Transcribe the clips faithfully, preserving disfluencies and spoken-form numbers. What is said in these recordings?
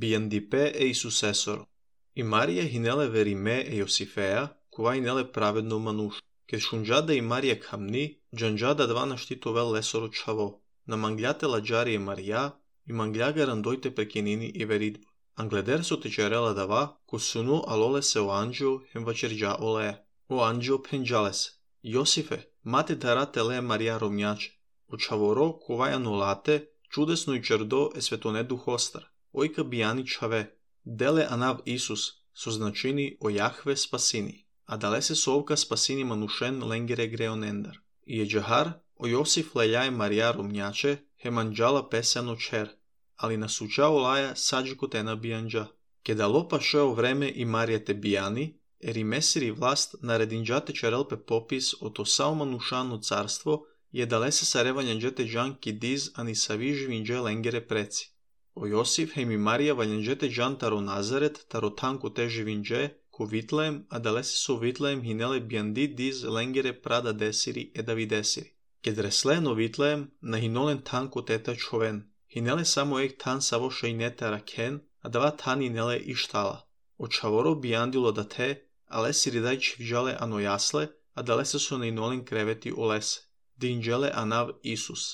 Бијандипе е Исусесоро. И Марија хинеле вериме е Јосифеја, кова хинеле праведно мануш. Ке шунџада и Марија камни, джанџада два наштитове лесоро чаво. На манглјате ладжари е Марија, и мангляга рандојте прекинини и веридбо. Англедер со течерела дава, ко суну алоле се о анджио хем вачерџа оле. О анджио пенџалес. Јосифе, мате дарате ле Марија ромњаче. О чаворо, кова ја нолате, чудесно и чердо е светоне духостар. Ојка бијани чаве. Деле анав Исус, со значини о Јахве спасини. А дале се совка спасини манушен ленгере греонендар. И е джахар, о Јосиф лељај Марија ромњаче, хем анџала песено чер. Али на суча олаја саџико те на бијанџа. Ке дало пашео време и Марија те бијани, ери месири власт нарединџате черел пе попис ото сао манушано царство и е дале се саревањанџете джан ки диз ани сави живиндже ленгере преци. О Јосиф хем и Марија вањанџете джан таро Назарет, таро танко те живиндже, ко Витлеем, а дале се со Витлеем хинеле бијанди диз ленгере прада десири е дави десири. Ке дресле но Витлеем на хинолен танко тета човен. Хинеле само ек тан саво шајнете ракен, а дава тан хинеле и штала. О чаворо бијандило да те, але сиридај чивџале ано јасле, а дале се со најнолен кревети олесе. Динџеле анав Исус.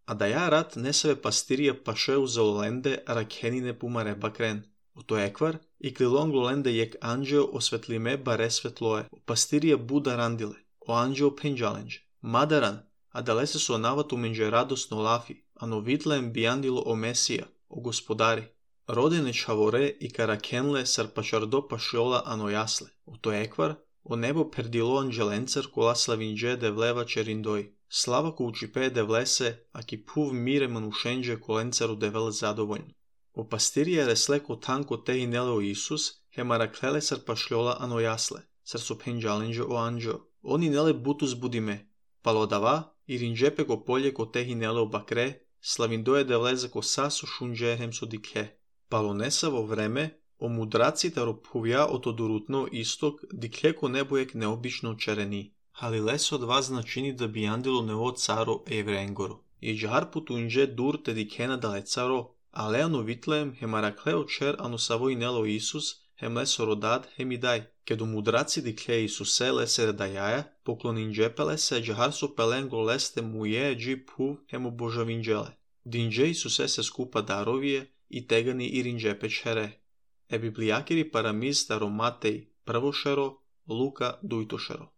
А да ја рад не себе пастирија пашеу за оленде ракенине пумаре бакрен. Ото еквар и клилон глоленде јек анџео осветлиме баре светлое. О пастирија буда рандиле. О анџео пенџаленџ. Мадаран, а дале се со навату менџе радосно лафи, ано Витлеем бијандило о Месија, о Господари. Родене чаворе и каракенле сарпачардо пашиола ано јасле. Ото еквар, о небо пердило анџеленцер кола славиндже девлева чериндој. Слава ко учипе девлесе, а ки пув мире манушенџе коленцеру девел задовољно. О пастирија реслеко танко те хинеле о Исус, хемараклеле сарпашлјола ано јасле, сар со пенџаленџе о анџо. Они неле бутус будиме. Палодава, и ринџепе ко полје ко те хинеле о бакре, славиндоје девлезе ко са со шунџе хем со дикле. Палонеса во време, о мудраците ропувја ото дурутно исток, дикле ко небојек необично черени. Халилес од вас значини да бијандило нево царо евренгоро. И джар путуинџе дур те дикена дале царо, але ано Витлеем хемаракле о чер ано саво и нело Исус, хем лесо родад хем и дај. Кеду мудраци дикле Исусе лесе редајаја, поклонинџепеле се джар со пеленго лесте мује джи пув хем обожавинџеле. Динџе Исусе се скупа даровие и тегани и ринџепе чере. Е библијакири парамиз таро Матеј првошеро, Лука дујтошеро.